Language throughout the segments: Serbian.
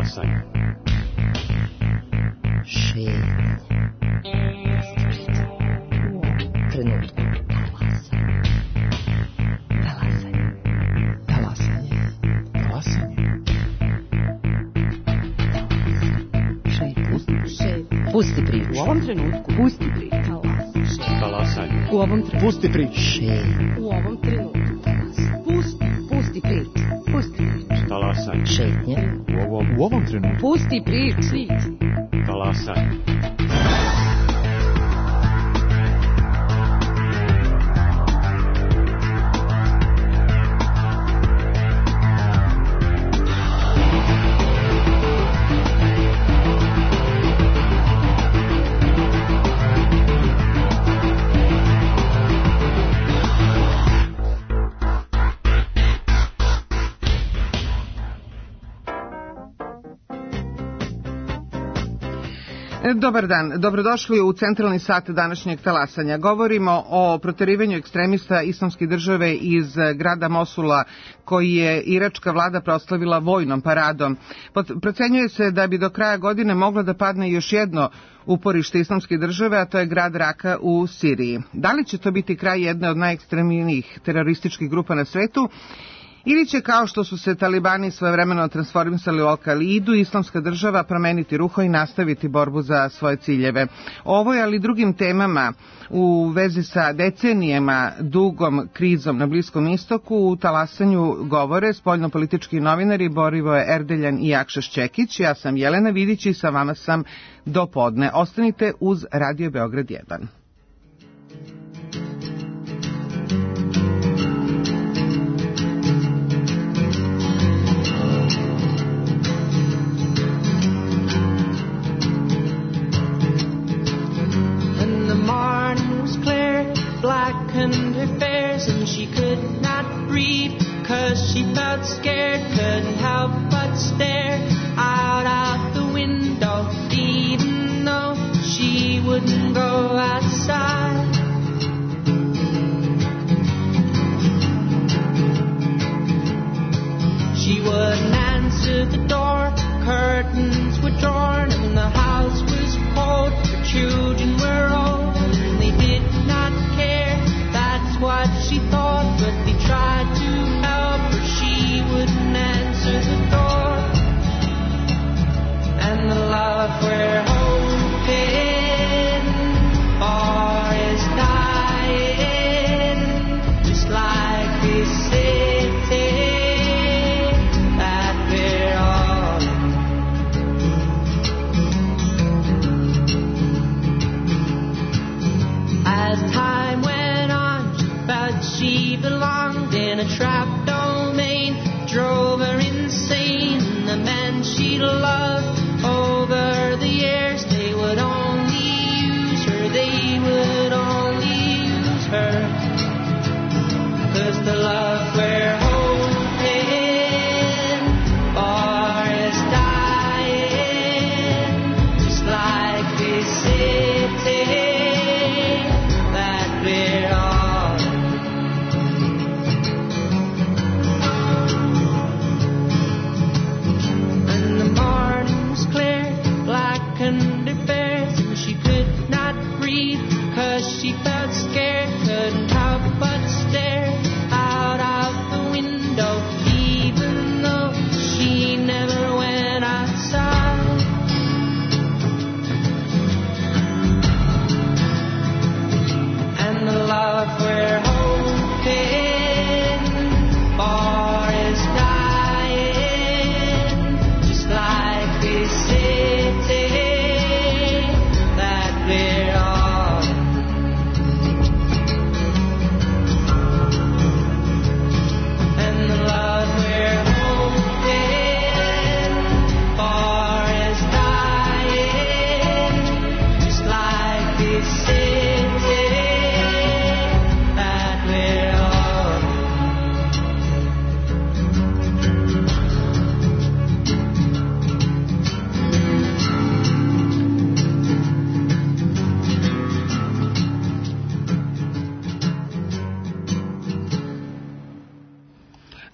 Talasaj. Šetnja. Trenutku. Pusti priču. U ovom trenutku. Pusti priču. Talasaj. U ovom trenutku. Pusti priču. U ovom trenutku. Pusti priču. Pusti priču. Talasaj. Šetnja. U ovom trenutku. Pusti priču. Talasaj. Dobar dan, dobrodošli u centralni sat današnjeg talasanja. Govorimo o proterivanju ekstremista Islamske države iz grada Mosula, koji je iračka vlada proslavila vojnom paradom. Procenjuje se da bi do kraja godine moglo da padne još jedno uporište Islamske države, a to je grad Raka u Siriji. Da li će to biti kraj jedne od najekstremnijih terorističkih grupa na svetu? Ili će, kao što su se talibani svojevremeno transformisali u Al-Kaidu, Islamska država promeniti ruho i nastaviti borbu za svoje ciljeve. O ovoj, ali i drugim temama u vezi sa decenijama dugom krizom na Bliskom istoku u talasanju govore spoljnopolitički novinari Borivoje Erdeljan i Akšaš Čekić. Ja sam Jelena Vidić i sa vama sam do podne. Ostanite uz Radio Beograd 1. Blackened her fares and she could not breathe, 'cause she felt scared, couldn't help but stare out the window, even though she wouldn't go outside. She wouldn't answer the door, curtains were drawn and the house was cold, her children were old and they did not care. That's what she thought, but they tried to help her. She wouldn't answer the door. And the love we're hoping for is dying, just like this city that we're all in. As time went on, but she belonged in a trapped domain, drove her insane. The men she loved over the years, they would only use her, they would only use her. 'Cause the love we're hoping for is dying, just like this city that we're all.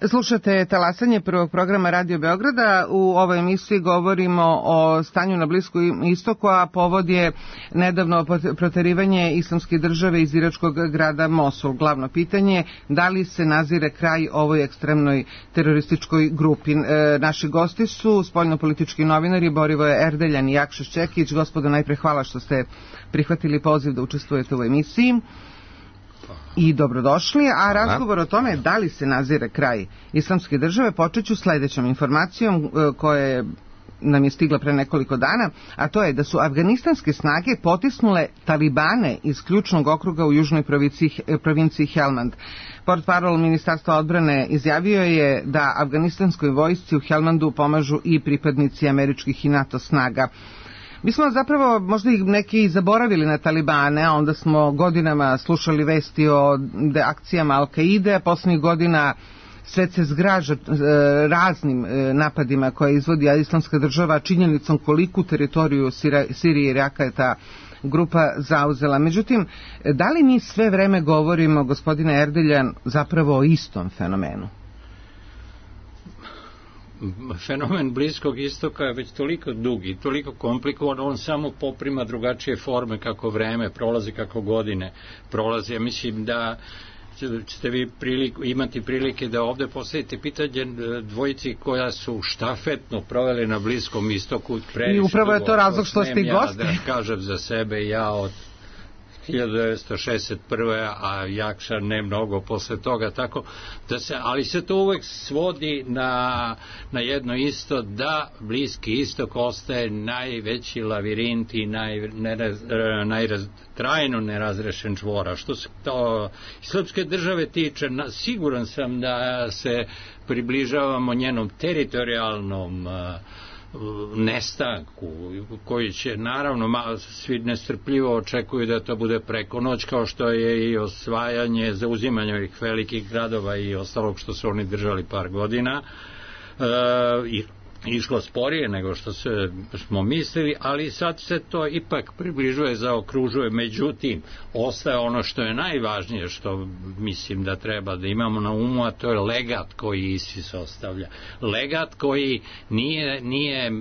Slušate talasanje prvog programa Radio Beograda. U ovoj emisiji govorimo o stanju na Bliskom istoku, a povod je nedavno proterivanje Islamske države iz iračkog grada Mosul. Glavno pitanje, da li se nazire kraj ovoj ekstremnoj terorističkoj grupi? Naši gosti su spoljnopolitički novinari Borivoje Erdeljan i Jakša Šćekić. Gospodo, najpre hvala što ste prihvatili poziv da učestvujete u emisiji. I dobrodošli, a razgovor o tome da li se nazire kraj Islamske države počeću sledećom informacijom koja nam je stigla pre nekoliko dana, a to je da su afganistanske snage potisnule talibane iz ključnog okruga u južnoj provinciji Helmand. Portparol Ministarstva odbrane izjavio je da afganistanskoj vojsci u Helmandu pomažu i pripadnici američkih i NATO snaga. Mi smo zapravo možda i neki zaboravili na talibane, a onda smo godinama slušali vesti o akcijama Al-Kaide, a poslednjih godina svet se zgraža raznim napadima koje izvodi Islamska država, činjenicom koliku teritoriju Sirije i Iraka je ta grupa zauzela. Međutim, da li mi sve vreme govorimo, gospodine Erdeljan, zapravo o istom fenomenu? Fenomen Bliskog istoka je već toliko dug i toliko komplikovan, on samo poprima drugačije forme kako vreme prolazi, kako godine prolazi. Ja mislim da ćete vi imati prilike da ovde postavite pitanje dvojici koja su štafetno proveli na Bliskom istoku. I upravo je to razlog što ste i gosti. Da kažem za sebe, ja od 1961. a Jakša ne mnogo posle toga, tako da se, ali se to uvek svodi na jedno isto, da Bliski istok ostaje najveći lavirint i trajno nerazrešen čvor. A što se to Islamske države tiče, siguran sam da se približavamo njenom teritorijalnom nestanku, koji će naravno svi nestrpljivo očekuju da to bude preko noć, kao što je i osvajanje, zauzimanje ovih velikih gradova i ostalog što su oni držali par godina, i išlo sporije nego što smo mislili, ali sad se to ipak približuje, zaokružuje. Međutim, ostaje ono što je najvažnije, što mislim da treba da imamo na umu, a to je legat koji ISIS ostavlja. Legat koji nije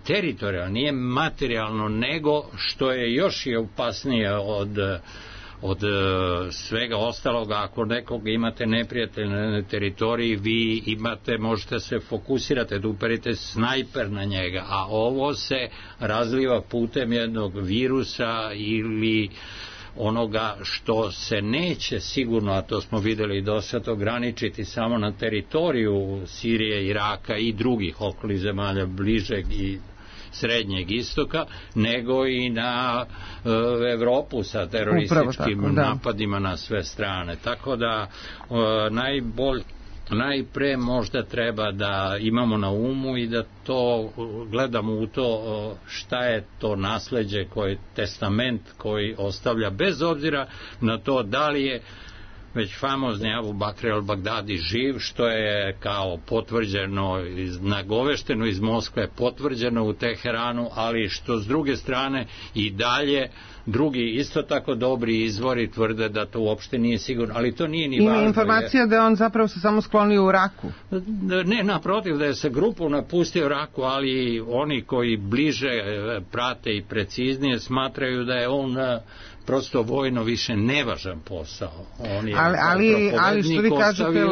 teritorijalno, nije materijalno, nego što je još i opasnije od svega ostaloga. Ako nekog imate neprijatelja na teritoriji, vi možete se fokusirate, da uperite snajper na njega, a ovo se razliva putem jednog virusa ili onoga što se neće sigurno, a to smo videli do sad, ograničiti samo na teritoriju Sirije, Iraka i drugih okolnih zemalja bližeg i Srednjeg istoka, nego i na Evropu sa terorističkim napadima na sve strane. Tako da najpre možda treba da imamo na umu i da to gledamo u to šta je to nasleđe, koji testament koji ostavlja, bez obzira na to da li je već famozni Abu Bakr al-Bagdadi živ, što je kao potvrđeno, nagovešteno iz Moskve, potvrđeno u Teheranu, ali što s druge strane i dalje drugi isto tako dobri izvori tvrde da to uopšte nije sigurno, ali to nije ni važno. Ima informacija da je on zapravo se samo sklonio u Raku. Ne, naprotiv, da je se grupu napustio Raku, ali oni koji bliže prate i preciznije smatraju da je on prosto vojno više nevažan posao. On je ali što vi kažete,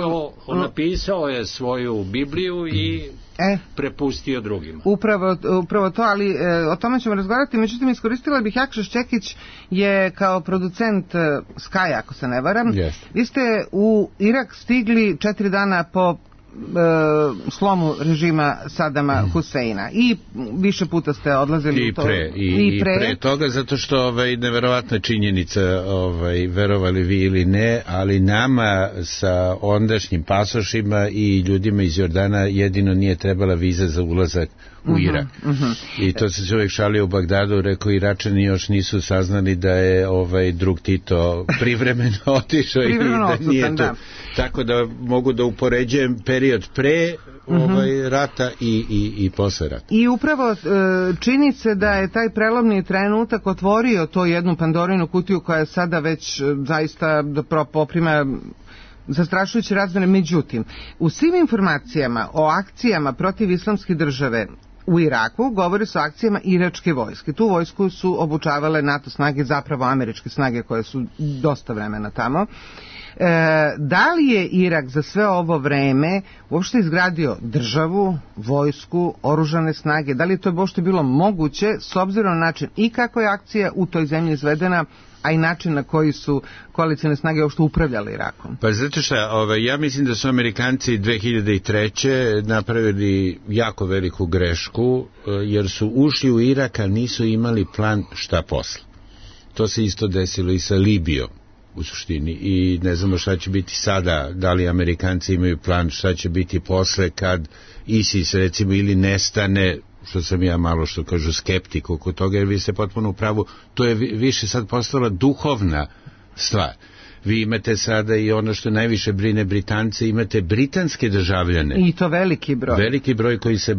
napisao je svoju Bibliju i prepustio drugima. Upravo to, ali o tome ćemo razgovarati. Međutim, iskoristila bih, Jakša Šćekić je kao producent Sky, ako se ne varam. Vi ste u Irak stigli 4 dana po slomu režima Sadama Huseina i više puta ste odlazili i pre toga, zato što neverovatna činjenica, verovali vi ili ne, ali nama sa ondašnjim pasošima i ljudima iz Jordana jedino nije trebala viza za ulazak u Irak. I to se čovjek šalio u Bagdadu, rekao Iračani još nisu saznali da je drug Tito privremeno otišao i da nije to. Tako da mogu da upoređujem period pre rata i posle rata. I upravo čini se da je taj prelomni trenutak otvorio to jednu Pandorinu kutiju koja je sada već zaista poprima zastrašujuće razmere. Međutim, u svim informacijama o akcijama protiv islamske države u Iraku govori se o akcijama iračke vojske. Tu vojsku su obučavale NATO snage, zapravo američke snage koje su dosta vremena tamo. Da li je Irak za sve ovo vreme uopšte izgradio državu, vojsku, oružane snage? Da li je to uopšte bilo moguće s obzirom na način i kako je akcija u toj zemlji izvedena, a i način na koji su koalicijne snage uopšte upravljali Irakom? Pa zato što ja mislim da su Amerikanci 2003. napravili jako veliku grešku, jer su ušli u Irak, a nisu imali plan šta posle. To se isto desilo i sa Libijom u suštini i ne znamo šta će biti sada, da li Amerikanci imaju plan šta će biti posle kad ISIS recimo ili nestane, što sam ja malo što kažu skeptik oko toga, jer vi ste potpuno u pravu, to je više sad postala duhovna stvar. Vi imate sada i ono što najviše brine Britance, imate britanske državljane. I to veliki broj. Veliki broj koji se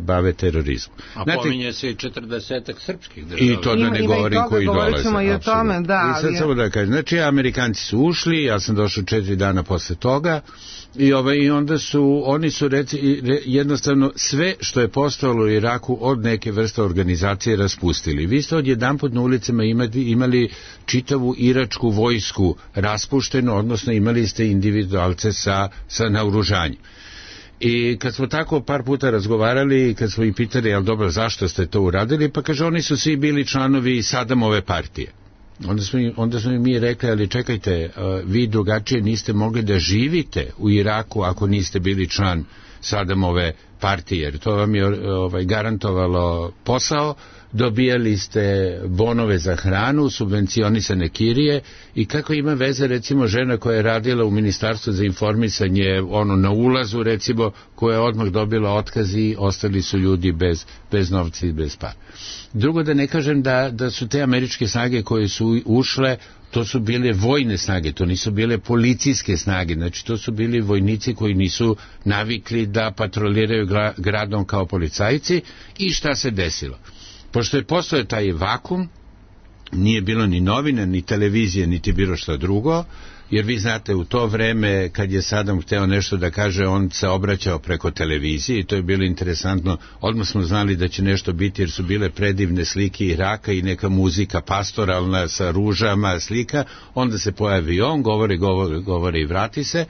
bave terorizmom. A znate, pominje se i 40 srpskih država. I to da ne govorim koji dolaze. I o tome, da. I sad samo da kažem, znači Amerikanci su ušli, ja sam došao 4 dana posle toga, i onda su, oni su jednostavno sve što je postojalo u Iraku od neke vrste organizacije raspustili. Vi ste odjedanput na ulicama imali čitavu iračku vojsku raspuštenu, odnosno imali ste individualce sa naoružanjem. I kad smo tako par puta razgovarali, kad smo ih pitali, jel dobro, zašto ste to uradili, pa kaže, oni su svi bili članovi Sadamove partije. Onda smo mi rekli, ali čekajte, vi drugačije niste mogli da živite u Iraku ako niste bili član Sadamove partije, jer to vam je garantovalo posao, dobijali ste bonove za hranu, subvencionisane kirije i kako ima veze recimo žena koja je radila u Ministarstvu za informisanje na ulazu recimo, koja je odmah dobila otkaz i ostali su ljudi bez novca i bez para. Drugo, da ne kažem da su te američke snage koje su ušle, to su bile vojne snage, to nisu bile policijske snage, znači to su bili vojnici koji nisu navikli da patroliraju gradom kao policajci. I šta se desilo? Pošto je postojao taj vakum, nije bilo ni novine, ni televizije, niti bilo šta drugo, jer vi znate, u to vreme kad je Sadam hteo nešto da kaže, on se obraćao preko televizije i to je bilo interesantno. Odmah smo znali da će nešto biti jer su bile predivne slike Iraka i neka muzika pastoralna sa ružama slika, onda se pojavi on, govori i vrati se.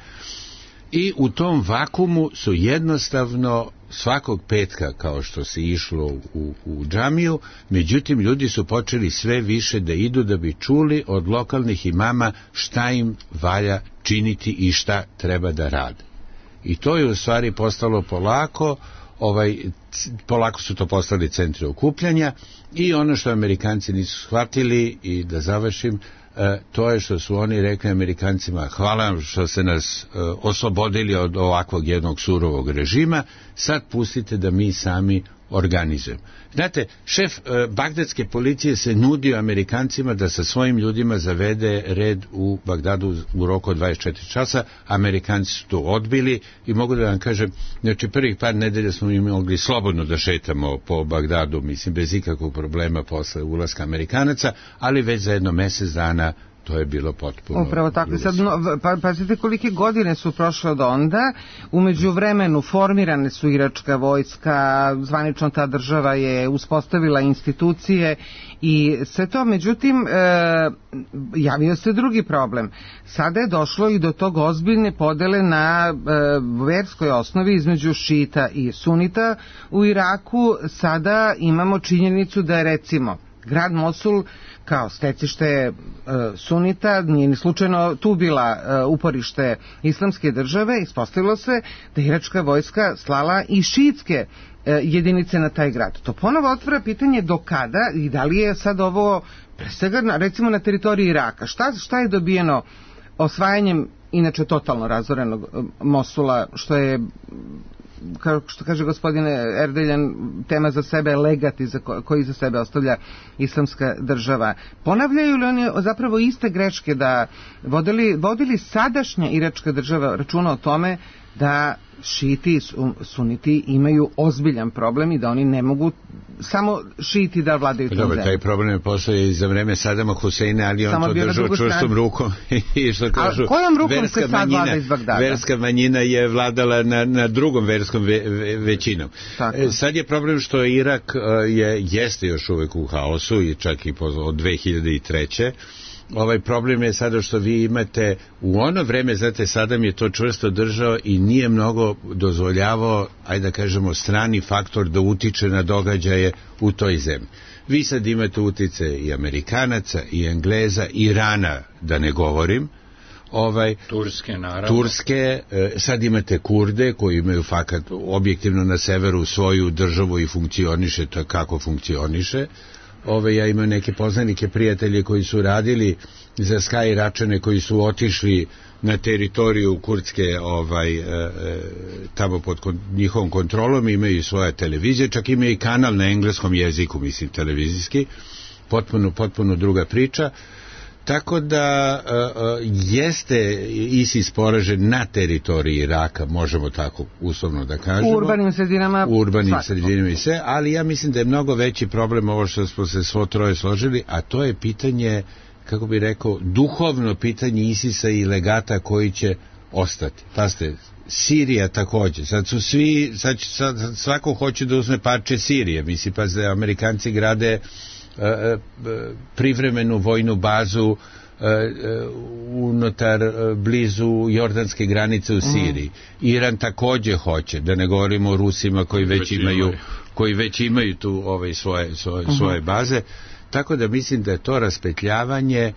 I u tom vakumu su jednostavno svakog petka, kao što se išlo u džamiju, međutim ljudi su počeli sve više da idu da bi čuli od lokalnih imama šta im valja činiti i šta treba da rade. I to je u stvari postalo polako su to postali centri okupljanja i ono što Amerikanci nisu shvatili, i da završim, to je što su oni rekli Amerikancima, hvala vam što ste nas oslobodili od ovakvog jednog surovog režima, sad pustite da mi sami organizujemo. Znate, šef bagdadske policije se nudio Amerikancima da sa svojim ljudima zavede red u Bagdadu u roku od 24 časa, Amerikanci su to odbili i mogu da vam kažem, znači prvih par nedelja smo im mogli slobodno da šetamo po Bagdadu, mislim bez ikakvog problema posle ulaska Amerikanaca, ali već za jedno mesec dana to je bilo potpuno... Upravo tako. Sad, pazite kolike godine su prošle od onda. U međuvremenu formirane su iračka vojska, zvanično ta država je uspostavila institucije i sve to. Međutim, javio se drugi problem. Sada je došlo i do tog ozbiljne podele na verskoj osnovi između šita i sunita u Iraku. Sada imamo činjenicu da je recimo grad Mosul kao stecište sunita, nije ni slučajno tu bila uporište islamske države, ispostavilo se da je iračka vojska slala i šiitske jedinice na taj grad. To ponovo otvara pitanje do kada i da li je sad ovo pre svega recimo na teritoriji Iraka. Šta je dobijeno osvajanjem inače totalno razorenog Mosula, što je, kao što kaže gospodine Erdeljan, tema za sebe, legat koji za sebe ostavlja islamska država. Ponavljaju li oni zapravo iste greške da vodili sadašnja iračka država računa o tome da šiti i suniti imaju ozbiljan problem i da oni ne mogu samo šiti da vladaju tom zemljom. Taj problem je postoji i za vreme Sadama Huseina, ali on to držao čvrstom rukom i što kažu, kojom rukom se sad vlada iz Bagdada? Verska manjina je vladala na drugom verskom većinom. Sad je problem što Irak jeste još uvek u haosu i čak i od 2003. Ovaj problem je sada što vi imate u ono vreme, znate, Sadam je to čvrsto držao i nije mnogo dozvoljavao, ajde da kažemo, strani faktor da utiče na događaje u toj zemlji. Vi sad imate utice i Amerikanaca, i Engleza, i Irana, da ne govorim, Turske, naravno. Turske, sad imate Kurde koji imaju fakat objektivno na severu svoju državu i funkcioniše to kako funkcioniše. Ja imam neke poznanike, prijatelje koji su radili za Sky Iračane, koji su otišli na teritoriju kurdske tamo pod njihovom kontrolom, imaju svoja televizija, čak imaju i kanal na engleskom jeziku, mislim, televizijski, potpuno druga priča. Tako da jeste ISIS poražen na teritoriji Iraka, možemo tako uslovno da kažemo. U urbanim sredinama. I sve, ali ja mislim da je mnogo veći problem ovo što smo se svo troje složili, a to je pitanje, kako bi rekao, duhovno pitanje ISIS-a i legata koji će ostati. Pazite, Sirija takođe. Sad su svi, svako hoće da uzme parče Sirije. Mislim, pazite, Amerikanci grade privremenu vojnu bazu unutar blizu jordanske granice u Siriji. Iran takođe hoće, da ne govorimo o Rusima koji već imaju tu svoje baze. Tako da mislim da je to raspetljavanje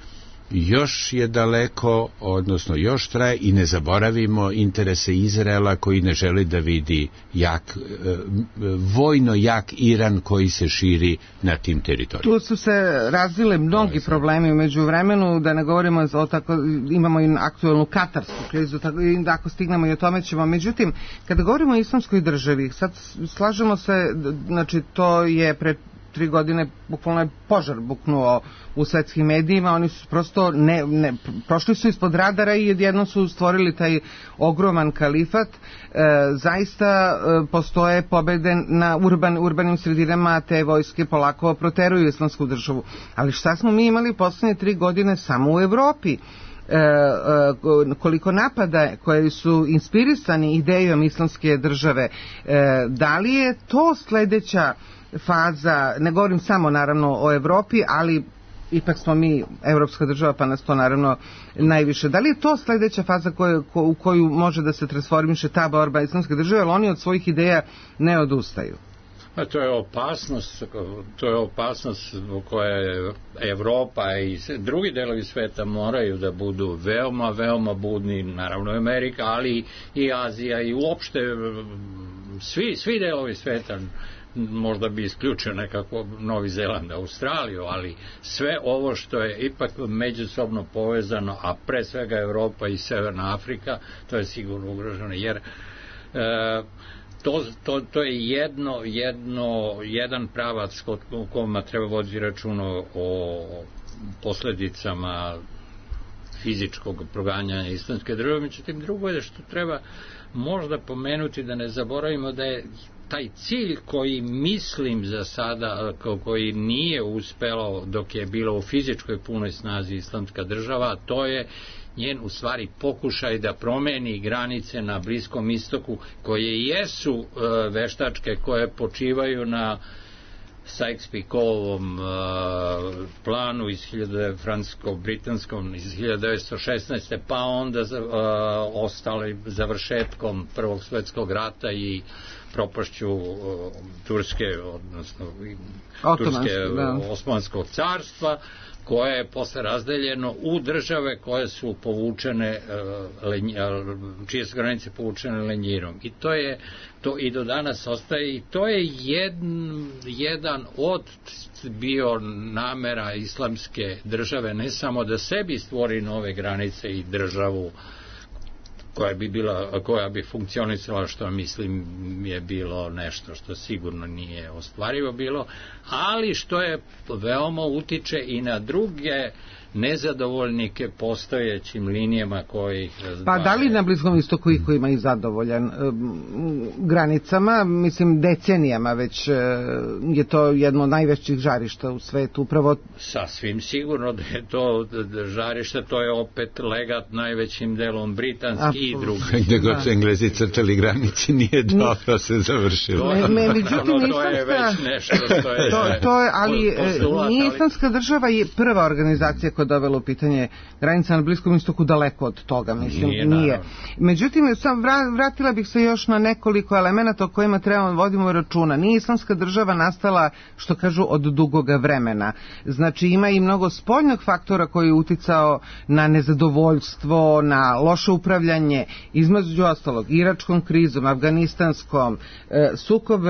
još je daleko, odnosno još traje, i ne zaboravimo interese Izraela koji ne želi da vidi vojno jak Iran koji se širi na tim teritorijama. Tu su se razvile mnogi problemi u međuvremenu, da ne govorimo o tako, imamo i aktuelnu katarsku krizu, tako, da ako stignemo i o tome ćemo. Međutim, kada govorimo o islamskoj državi, sad slažemo se, znači to je pred 3 godine bukvalno je požar buknuo u svetskim medijima, oni su prosto prošli su ispod radara i jednom su stvorili taj ogroman kalifat. Zaista postoje pobede na urbanim sredinama, te vojske polako proteruju islamsku državu. Ali šta smo mi imali poslednje 3 godine samo u Evropi? Koliko napada koji su inspirisani idejom islamske države, da li je to sledeća faza, ne govorim samo naravno o Evropi, ali ipak smo mi evropska država, pa nas to naravno najviše. Da li je to sledeća faza u koju može da se transformiše ta borba islamske države, jer oni od svojih ideja ne odustaju? A to je opasnost zbog koje Evropa i drugi delovi sveta moraju da budu veoma budni, naravno Amerika, ali i Azija i uopšte svi delovi sveta. Možda bi isključio nekako Novi Zeland, Australiju, ali sve ovo što je ipak međusobno povezano, a pre svega Evropa i Severna Afrika, to je sigurno ugroženo, jer to je jedan pravac u kojima treba voditi računa o posledicama fizičkog proganjanja islamske države. Međutim, drugo je što treba možda pomenuti, da ne zaboravimo da je taj cilj koji mislim za sada, koji nije uspelo dok je bilo u fizičkoj punoj snazi islamska država, to je njen u stvari pokušaj da promeni granice na Bliskom istoku, koje jesu veštačke, koje počivaju na Sykes-Picotovom planu iz francusko-britanskom iz 1916. pa onda ostali završetkom Prvog svetskog rata i propašću Turske, odnosno Osmanskog carstva, koje je posle razdeljeno u države koje su povučene, čije su granice povučene lenjirom. I to i do danas ostaje, i to je jedan od bio namera islamske države, ne samo da sebi stvori nove granice i državu koja bi funkcionisala, što mislim je bilo nešto što sigurno nije ostvarivo bilo, ali što je veoma utiče i na druge nezadovoljnike postojećim linijama koji ih razdvajaju. Pa da li na Bliskom istoku iko ima i zadovoljan granicama, mislim decenijama već je to jedno od najvećih žarišta u svetu, upravo... Sasvim sigurno da je to žarište, to je opet legat najvećim delom britanski i drugi. Gde god su Englezi crtali granici nije dobro se završilo. To je već nešto što je... Ali nije Islamska država je prva organizacija koja je dovela u pitanje granica na Bliskom istoku, daleko od toga, mislim, nije. Međutim, sam vratila bih se još na nekoliko elemenata o kojima trebamo vodimo računa. Nije Islamska država nastala, što kažu, od dugoga vremena. Znači, ima i mnogo spoljnog faktora koji je uticao na nezadovoljstvo, na loše upravljanje, između ostalog, iračkom krizom, afganistanskom, sukob,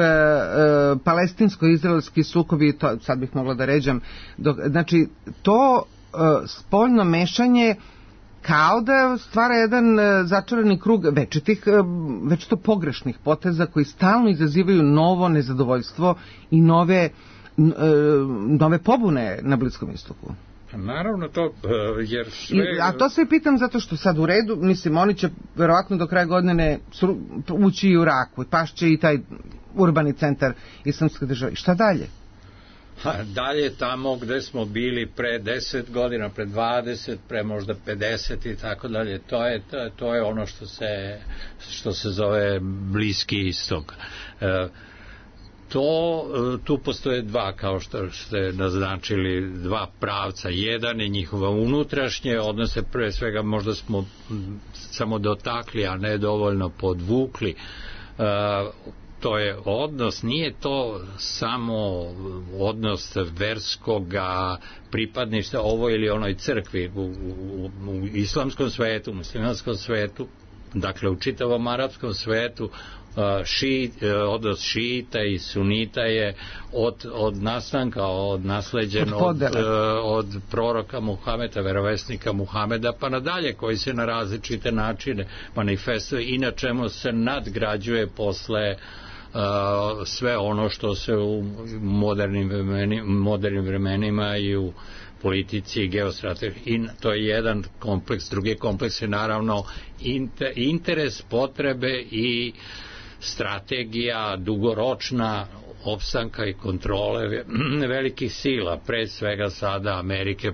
palestinsko-izraelski sukobi, to sad bih mogla da ređam, znači, to spoljno mešanje kao da stvara jedan začarani krug večito pogrešnih poteza koji stalno izazivaju novo nezadovoljstvo i nove pobune na Bliskom istoku. Naravno to, jer sve... A to se pitam zato što sad u redu, mislim, oni će verovatno do kraja godine ući i u Raku, pašće i taj urbani centar Islamske države. I šta dalje? Dalje tamo gde smo bili pre 10 godina, pre 20, pre možda 50 i tako dalje, to je ono što se zove Bliski istok. Tu postoje dva, kao što ste naznačili, dva pravca. Jedan je njihova unutrašnje odnose, pre svega možda smo samo dotakli, a ne dovoljno podvukli. To je odnos, nije to samo odnos verskoga pripadništva ovoj ili onoj crkvi u islamskom svetu, u muslimanskom svetu, dakle u čitavom arapskom svetu. Odnos šiita i sunita je od nastanka, od nasleđen od proroka Muhameda, verovesnika Muhameda pa nadalje, koji se na različite načine manifestuje i na čemu se nadgrađuje posle sve ono što se u modernim vremenima i u politici i geostrategiji. I to je jedan kompleks. Drugi kompleks je naravno interes, potrebe i strategija dugoročna opstanka i kontrole velikih sila, pre svega sada Amerike,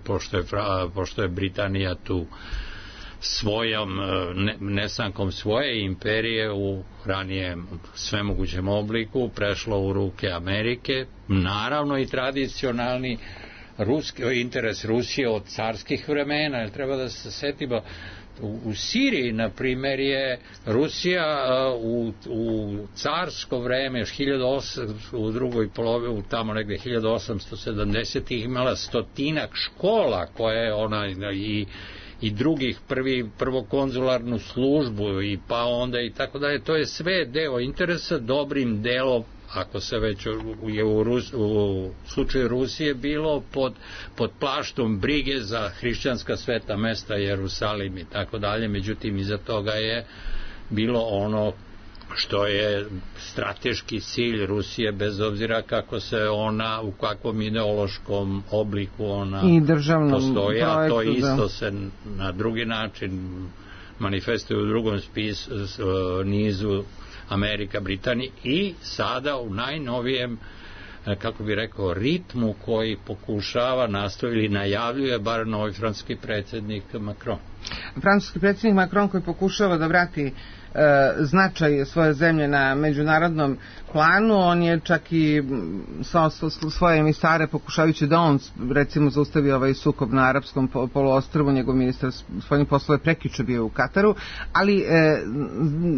pošto je Britanija tu svojom nestankom svoje imperije u ranijem svemogućem obliku prešlo u ruke Amerike. Naravno i tradicionalni interes Rusije od carskih vremena, jer treba da se setimo, u Siriji, na primjer, je Rusija u carsko vreme, u drugoj polovici, tamo negde 1870-ih, imala 100-ak škola koje ona i drugih, prvokonzularnu službu i pa onda i tako dalje. To je sve deo interesa, dobrim delom, ako se već je u slučaju Rusije bilo pod plaštom brige za hrišćanska sveta mesta, Jerusalim i tako dalje, međutim iza toga je bilo ono što je strateški cilj Rusije, bez obzira kako se ona, u kakvom ideološkom obliku ona postoji, a to isto se na drugi način manifestuje u drugom nizu Amerika, Britanija i sada u najnovijem, kako bi rekao, ritmu koji pokušava, nastoji ili najavljuje bar novi francuski predsjednik Macron. Francuski predsjednik Macron koji pokušava da vrati značaj svoje zemlje na međunarodnom planu, on je čak i svoje emisare pokušavajući da on recimo zaustavi ovaj sukob na arapskom poluostrvu, njegov ministar spoljnih poslova je prekjuče bio u Kataru, ali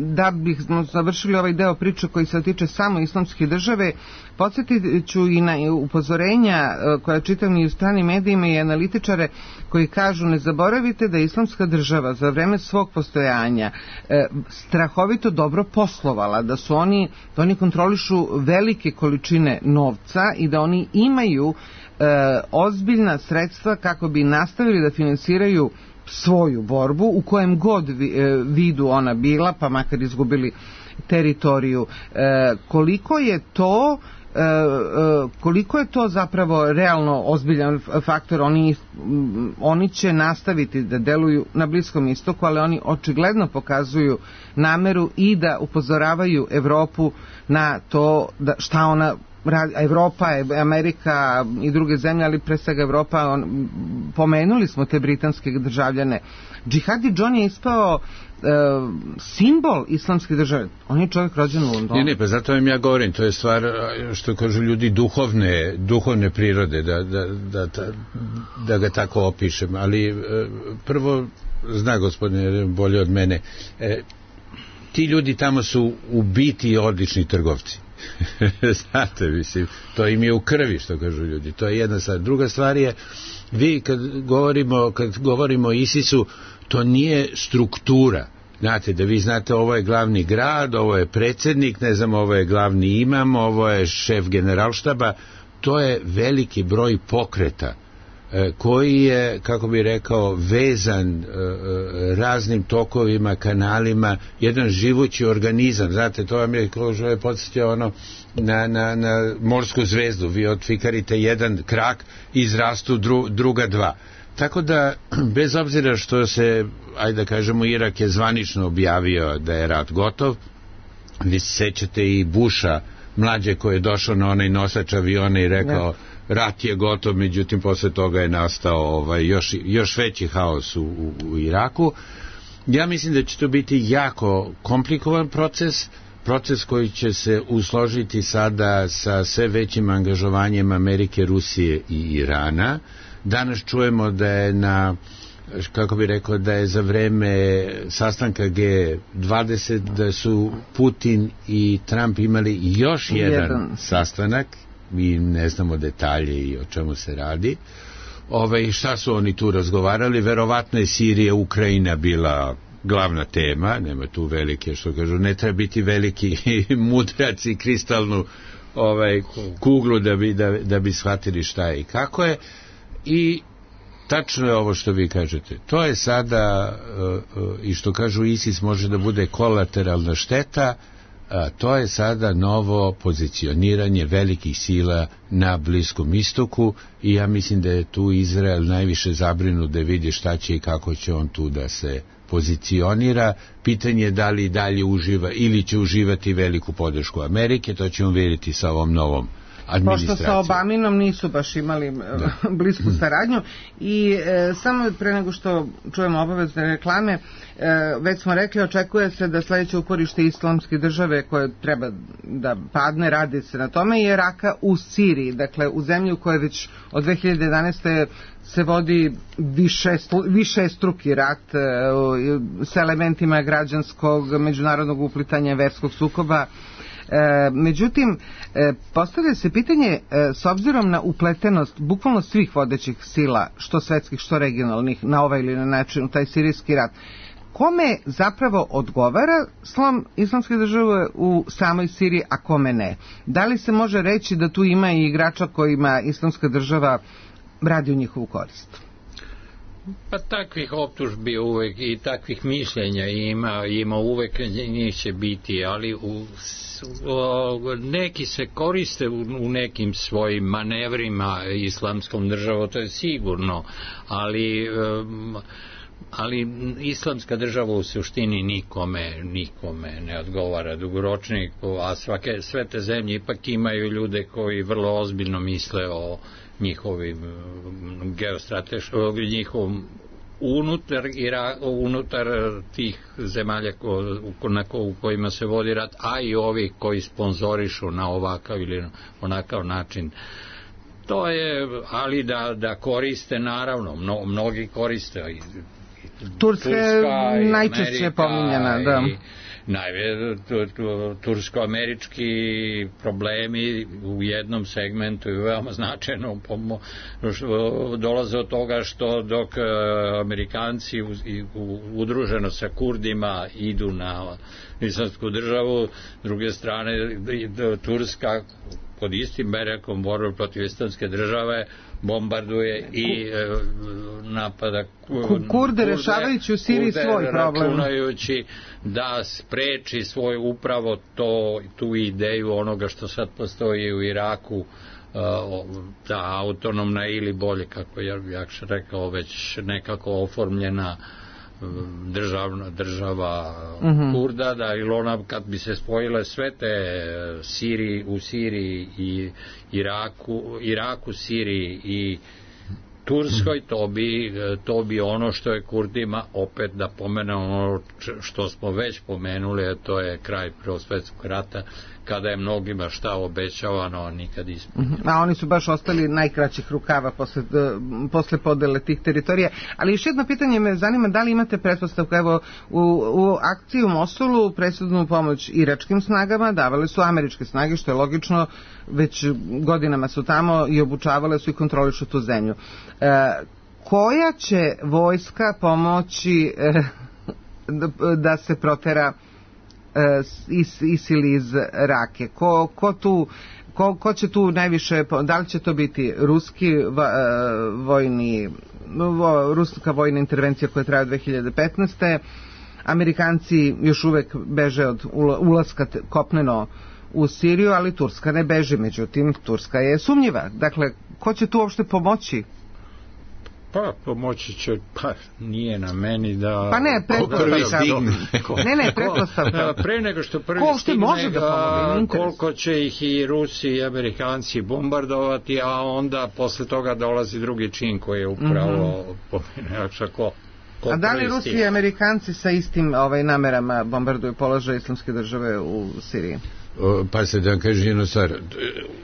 da bih završili ovaj deo priče koji se tiče samo islamske države, podsjetit ću i na upozorenja koja čitam i u stranim medijima i analitičare koji kažu ne zaboravite da islamska država za vreme svog postojanja strahovito dobro poslovala, da oni kontrolišu velike količine novca i da oni imaju ozbiljna sredstva kako bi nastavili da finansiraju svoju borbu u kojem god vidu ona bila, pa makar izgubili teritoriju. Koliko je to koliko je to zapravo realno ozbiljan faktor? Oni će nastaviti da deluju na Bliskom istoku, ali oni očigledno pokazuju nameru i da upozoravaju Evropu na to da šta ona radi. Evropa, Amerika i druge zemlje, ali pre svega Evropa, pomenuli smo te britanske državljane. Džihadi John je ispao simbol islamske države. On je čovjek rođen u Londonu. Ne, pa zato vam ja govorim, to je stvar, što kažu ljudi, duhovne prirode, da ga tako opišem. Ali prvo, zna gospodine bolje od mene, ti ljudi tamo su u biti odlični trgovci. Znate, mislim, to im je u krvi, što kažu ljudi. To je jedna stvar. Druga stvar je, vi kad govorimo o ISIS-u, to nije struktura. Znate, da vi znate, ovo je glavni grad, ovo je predsjednik, ne znam, ovo je glavni imam, ovo je šef generalštaba. To je veliki broj pokreta koji je, kako bi rekao, vezan raznim tokovima, kanalima, jedan živući organizam. Znate, to vam je, kao što je podsjetio ono, na morsku zvezdu. Vi otfikarite jedan krak, izrastu druga dva. Tako da, bez obzira što se, ajde da kažemo, Irak je zvanično objavio da je rat gotov, vi se sećate i Busha, mlađe, koji je došao na onaj nosač aviona i rekao rat je gotov, međutim posle toga je nastao još veći haos u Iraku. Ja mislim da će to biti jako komplikovan proces koji će se usložiti sada sa sve većim angažovanjem Amerike, Rusije i Irana. Danas čujemo da je da je za vreme sastanka G20 da su Putin i Trump imali još jedan sastanak, mi ne znamo detalje i o čemu se radi. Šta su oni tu razgovarali? Verovatno je Sirija, Ukrajina bila glavna tema, nema tu velike, što kažu, ne treba biti veliki mudrac i kristalnu kuglu da bi shvatili šta je i kako je. I tačno je ovo što vi kažete. To je sada, i što kažu ISIS može da bude kolateralna šteta, to je sada novo pozicioniranje velikih sila na Bliskom istoku i ja mislim da je tu Izrael najviše zabrinut da vidi šta će i kako će on tu da se pozicionira. Pitanje je da li dalje uživa ili će uživati veliku podršku Amerike, to ćemo vidjeti sa ovom novom administracijom. Pošto sa Obaminom nisu baš imali blisku saradnju. I samo pre nego što čujemo obavezne reklame, već smo rekli, očekuje se da sledeće uporište islamske države koje treba da padne, radi se na tome, je Raka u Siriji, dakle u zemlji u kojoj već od 2011. se vodi višestruki rat sa elementima građanskog, međunarodnog uplitanja, verskog sukoba. Međutim, postavlja se pitanje, s obzirom na upletenost bukvalno svih vodećih sila, što svetskih, što regionalnih, na ovaj ili na način u taj sirijski rat, kome zapravo odgovara slom islamske države u samoj Siriji, a kome ne? Da li se može reći da tu ima i igrača kojima islamska država radi u njihovu korist? Pa takvih optužbi uvek i takvih mišljenja ima uvek, njih će biti, ali neki se koriste u nekim svojim manevrima islamskom državom, to je sigurno, ali islamska država u suštini nikome ne odgovara dugoročni, a sve te zemlje ipak imaju ljude koji vrlo ozbiljno misle o njihovim njihovom unutar tih zemalja u kojima se vodi rat, a i ovi koji sponzorišu na ovakav ili onakav način. To je, ali da koriste, naravno, mnogi koriste. Turska je najčešće pominjena, da. Tursko-američki problemi u jednom segmentu je veoma značajno dolaze od toga što dok Amerikanci udruženo sa Kurdima idu na islamsku državu, s druge strane Turska pod istim berekom borbe protiv islamske države bombarduje i napada Kurde, rešavajući u Siriji svoj problem. Računajući da spreči svoj upravo tu ideju onoga što sad postoji u Iraku, ta autonomna ili bolje, kako ja rekao, već nekako oformljena država Kurda, da ili ona kad bi se spojile sve te u Siriji i Iraku, Siriji i Turskoj, to bi ono što je Kurdima, opet da pomenemo ono što smo već pomenuli, a to je kraj Prvog svjetskog rata, kada je mnogima šta obećavano, nikad ispunjeno. A oni su baš ostali najkraćih rukava posle podele tih teritorija. Ali još jedno pitanje me zanima, da li imate pretpostavku, evo, u akciji u Mosulu presudnu pomoć iračkim snagama davale su američke snage, što je logično, već godinama su tamo i obučavale su i kontrolišu tu zemlju. Koja će vojska pomoći da se protera ISIL iz Rake? Ko će tu najviše, da li će to biti ruska vojna intervencija koja traje od 2015. Amerikanci još uvek beže od ulaska kopneno u Siriju, ali Turska ne beži, međutim Turska je sumnjiva. Dakle, ko će tu uopšte pomoći? Pa pomoći će, nije na meni da... Pa ne, pretpostavka. Ne, pretpostavka. Pre nego što prvi stigne, koliko će ih i Rusi i Amerikanci bombardovati, a onda posle toga dolazi drugi čin koji je upravo ko a da li Rusi i Amerikanci sa istim namerama bombarduju položaj islamske države u Siriji? Pa se da vam kažem jednu stvar,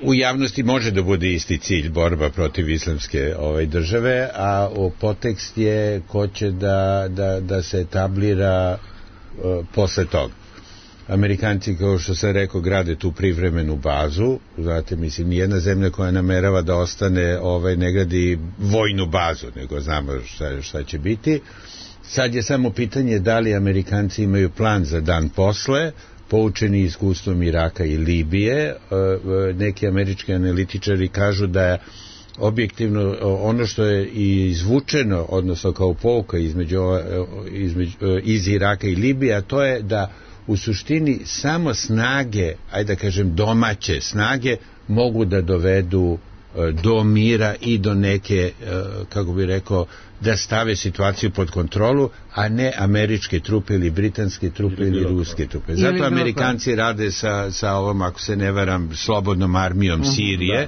u javnosti može da bude isti cilj borba protiv islamske države, a podtekst je ko će da se etablira posle toga. Amerikanci, kao što sam rekao, grade tu privremenu bazu, znate, mislim, nijedna zemlja koja namerava da ostane ne gradi vojnu bazu, nego znamo šta će biti. Sad je samo pitanje da li Amerikanci imaju plan za dan posle, poučeni iskustvom Iraka i Libije. Neki američki analitičari kažu da objektivno ono što je izvučeno, odnosno kao pouka iz Iraka i Libije, a to je da u suštini samo snage, ajde da kažem domaće snage, mogu da dovedu do mira i do neke, kako bi rekao, da stave situaciju pod kontrolu, a ne američke trupe ili britanske trupe ili ruske trupe. Zato Amerikanci rade sa ovom, ako se ne varam, slobodnom armijom Sirije,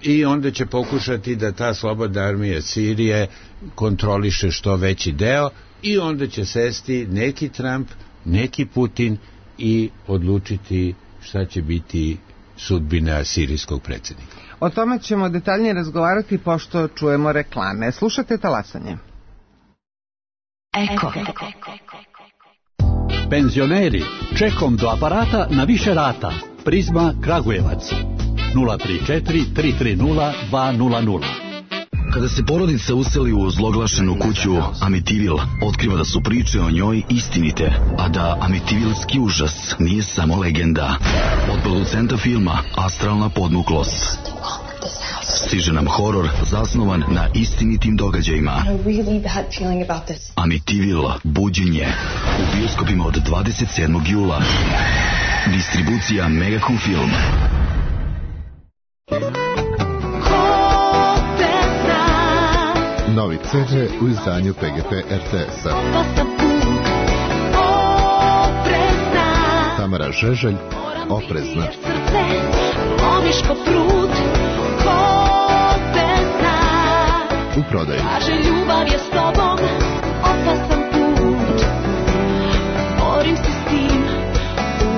i onda će pokušati da ta slobodna armija Sirije kontroliše što veći deo, i onda će sesti neki Trump, neki Putin i odlučiti šta će biti sudbina sirijskog predsjednika. O tome ćemo detaljnije razgovarati pošto čujemo reklame. Slušajte Talasanje. Eko. Penzioneri, čekom do aparata na više rata. Prizma Kragujevac. 034 330 200. Kada se porodica useli u ozloglašenu kuću Amitivil, otkriva da su priče o njoj istinite, a da Amitivilski užas nije samo legenda. Od producenta filma Astralna podmuklost stiže nam horor zasnovan na istinitim događajima. Amitivil, buđenje, u bioskopima od 27. jula. Distribucija Megacom Film. Novi CD u izdanju PGP RTS-a. Tamara Žeželj, Oprezna. U prodaju. Ljubav je s tobom, opasan put. Borim se s tim,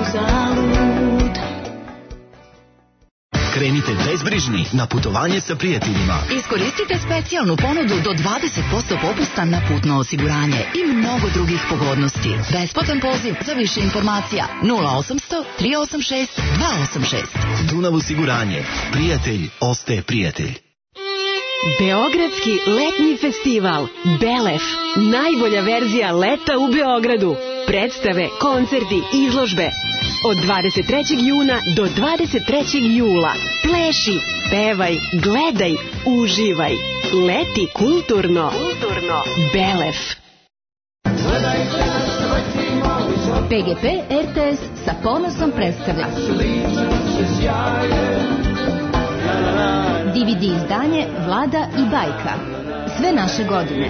uzalud. Krenite bezbrižni na putovanje sa prijateljima. Iskoristite specijalnu ponudu do 20% popusta na putno osiguranje i mnogo drugih pogodnosti. Besplatan poziv za više informacija 0800 386 286. Dunav osiguranje. Prijatelj ostaje prijatelj. Beogradski letnji festival Belef. Najbolja verzija leta u Beogradu. Predstave, koncerti, izložbe. Od 23. juna do 23. jula. Pleši, pevaj, gledaj, uživaj. Leti kulturno. Belef. PGP RTS sa ponosom predstavlja DVD izdanje Vlada i bajka. Sve naše godine.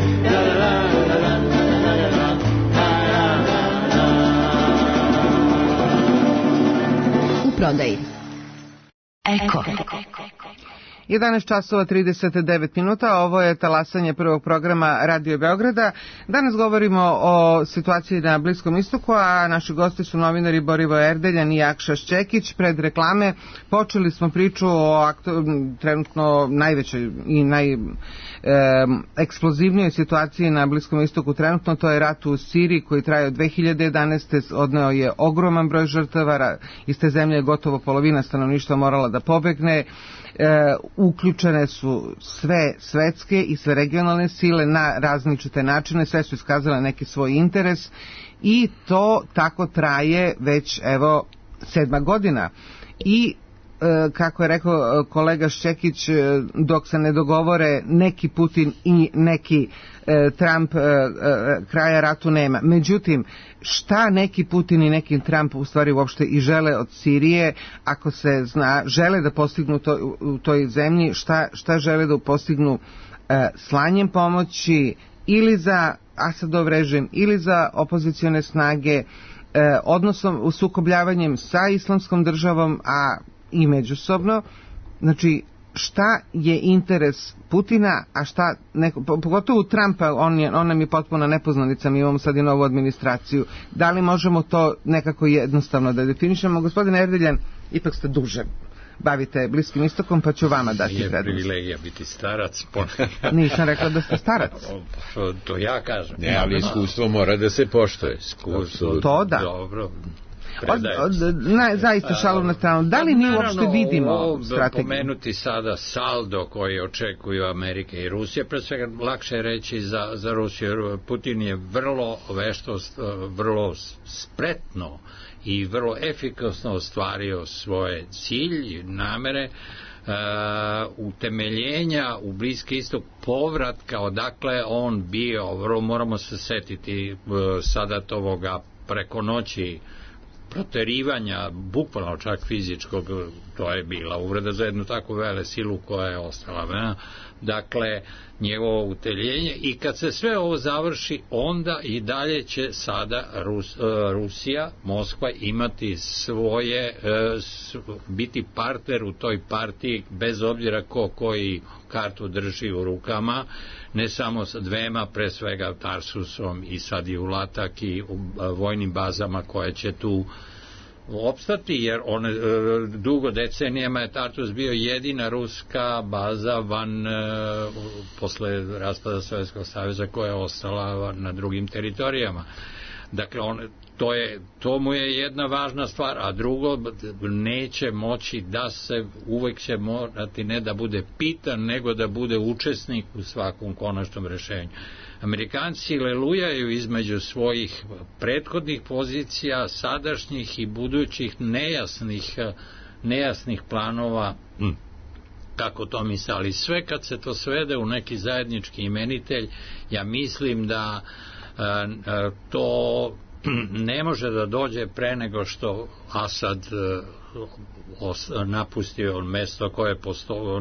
U prodaji. Eko. 11 časova 39 minuta, ovo je talasanje prvog programa Radio Beograda. Danas govorimo o situaciji na Bliskom istoku, a naši gosti su novinari Borivo Erdeljan i Akša Šćekić. Pred reklame počeli smo priču o trenutno najvećoj i najeksplozivnijoj situaciji na Bliskom istoku trenutno, to je rat u Siriji koji traje od 2011. Odneo je ogroman broj žrtava, iz te zemlje je gotovo polovina stanovništva morala da pobegne. Uključene su sve svetske i sve regionalne sile na različite načine, sve su iskazale neki svoj interes i to tako traje već evo 7. godina. I kako je rekao kolega Šćekić, dok se ne dogovore neki Putin i neki Trump, kraja ratu nema. Međutim, šta neki Putin i neki Trump u stvari uopšte i žele od Sirije, ako se zna, žele da postignu to, u toj zemlji, šta žele da postignu slanjem pomoći ili za Asadov režim ili za opozicione snage, odnosno sukobljavanjem sa Islamskom državom, a i međusobno. Znači, šta je interes Putina, a šta pogotovo Trumpa, on nam je potpuno nepoznanica, mi imamo sad i novu administraciju. Da li možemo to nekako jednostavno da definišemo? Gospodine Erdeljan, ipak ste duže bavite Bliskim istokom, pa ću vama dati prednost. Je privilegija biti starac. Nisam rekla da ste starac. To ja kažem. Ne, ali iskustvo mora da se poštuje. To da. Dobro. Zaista šalu na stranu. Da li mi uopšte vidimo strategiju? Pomenuti sada saldo koji očekuju Amerika i Rusija, pre svega lakše je reći za Rusiju. Putin je vrlo vešto, vrlo spretno i vrlo efikasno ostvario svoje cilj i namere utemeljenja u Bliski istok, povratka odakle on bio. Moramo se setiti sada toga preko noći proterivanja, bukvalno čak fizičkog, to je bila uvreda za jednu takvu vele silu koja je ostala. Dakle, njegovo uteljenje, i kad se sve ovo završi, onda i dalje će sada Rusija, Moskva imati svoje, biti partner u toj partiji, bez obzira koji kartu drži u rukama, ne samo sa dvema, pre svega Tarsusom i sad i u Latak i u vojnim bazama koje će tu opstati, jer dugo decenijama je Tartus bio jedina ruska baza posle raspada Sovjetskog saveza koja je ostala na drugim teritorijama. Dakle, to mu je jedna važna stvar, a drugo, neće moći da se, uvek će morati ne da bude pitan, nego da bude učesnik u svakom konačnom rešenju. Amerikanci lelujaju između svojih prethodnih pozicija, sadašnjih i budućih nejasnih planova, kako to misle, ali sve kad se to svede u neki zajednički imenitelj, ja mislim da to ne može da dođe pre nego što Asad napustio mesto koje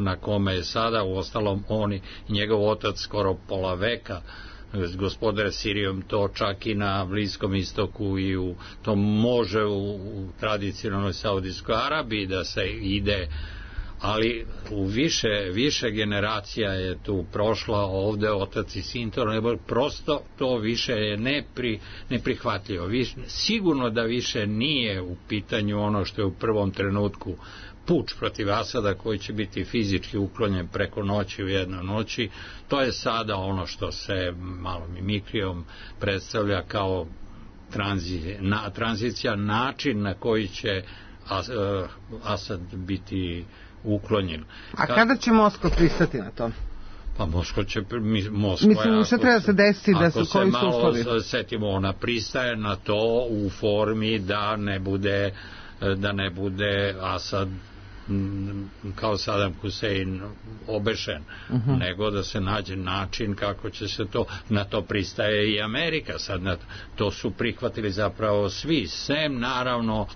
na kome je sada, uostalom on i njegov otac skoro pola veka gospodare Sirijom, to čak i na Bliskom istoku i to može u tradicionalnoj Saudijskoj Arabiji da se ide, ali u više generacija je tu prošla, ovde otac i sin, prosto to više je neprihvatljivo. Sigurno da više nije u pitanju ono što je u prvom trenutku puč protiv Asada koji će biti fizički uklonjen preko noći u jednoj noći. To je sada ono što se malo mimikrijom predstavlja kao tranzicija, način na koji će Asad biti uklonjen. A kada će Moskva pristati na to? Pa Moskva će... Mislim, što treba se desiti da su koji su uslovi? Ako se malo setimo, ona pristaje na to u formi da ne bude Asad kao Saddam Hussein obešen, nego da se nađe način kako će se to, na to pristaje i Amerika. Sad to su prihvatili zapravo svi, sem naravno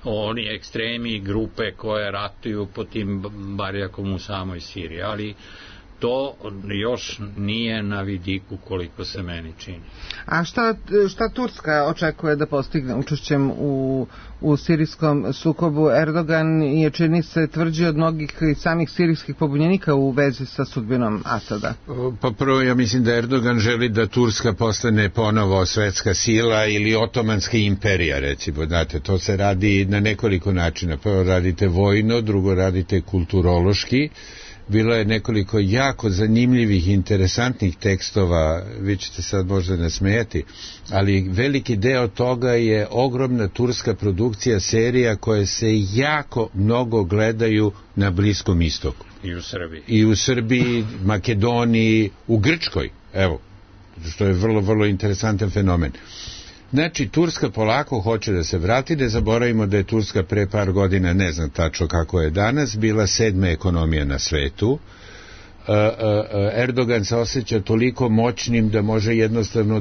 oni ekstremi grupe koje ratuju po tim barjakom u samoj Siriji, ali to još nije na vidiku koliko se meni čini. A šta Turska očekuje da postigne učešćem u sirijskom sukobu? Erdogan je, čini se, tvrđi od mnogih samih sirijskih pobunjenika u vezi sa sudbinom Asada. Pa prvo, ja mislim da Erdogan želi da Turska postane ponovo svetska sila ili otomanska imperija, recimo. Znate, to se radi na nekoliko načina. Prvo radite vojno, drugo radite kulturološki. Bilo je nekoliko jako zanimljivih, interesantnih tekstova, vi ćete sad možda nasmejati, ali veliki deo toga je ogromna turska produkcija serija koje se jako mnogo gledaju na Bliskom istoku. I u Srbiji, Makedoniji, u Grčkoj, evo, što je vrlo, vrlo interesantan fenomen. Znači, Turska polako hoće da se vrati, ne zaboravimo da je Turska pre par godina, ne znam tačno kako je danas, bila 7. ekonomija na svetu. Erdogan se osjeća toliko moćnim da može jednostavno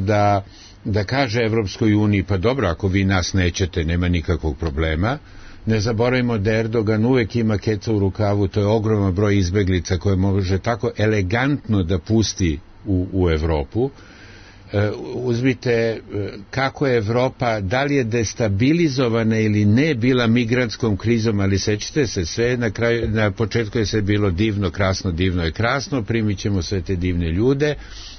da kaže Evropskoj uniji, pa dobro, ako vi nas nećete, nema nikakvog problema. Ne zaboravimo da Erdogan uvek ima keca u rukavu, to je ogroman broj izbeglica koje može tako elegantno da pusti u Evropu. Uzmite kako je Evropa, da li je destabilizovana ili ne bila migrantskom krizom, ali sećate se, sve na početku je sve bilo divno, krasno, divno je krasno, primit ćemo sve te divne ljude,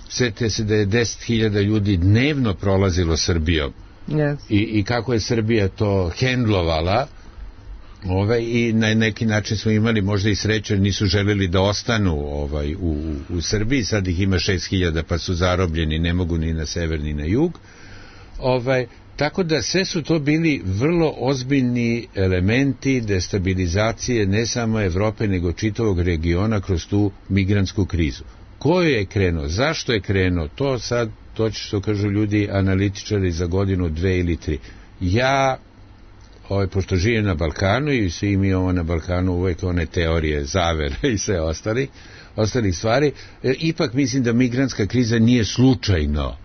sjetite se da je 10.000 ljudi dnevno prolazilo Srbijom. Yes. I kako je Srbija to hendlovala, i na neki način smo imali možda i sreće, nisu želeli da ostanu u Srbiji, sad ih ima 6.000 pa su zarobljeni, ne mogu ni na sever ni na jug. Tako da sve su to bili vrlo ozbiljni elementi destabilizacije ne samo Evrope nego čitavog regiona kroz tu migrantsku krizu. Ko je krenuo, zašto je krenuo, to će što kažu ljudi analitičari za godinu, 2 ili 3. Ja pošto živim na Balkanu i svi mi imamo na Balkanu uvek one teorije zavere i sve ostalih stvari, ipak mislim da migrantska kriza nije slučajno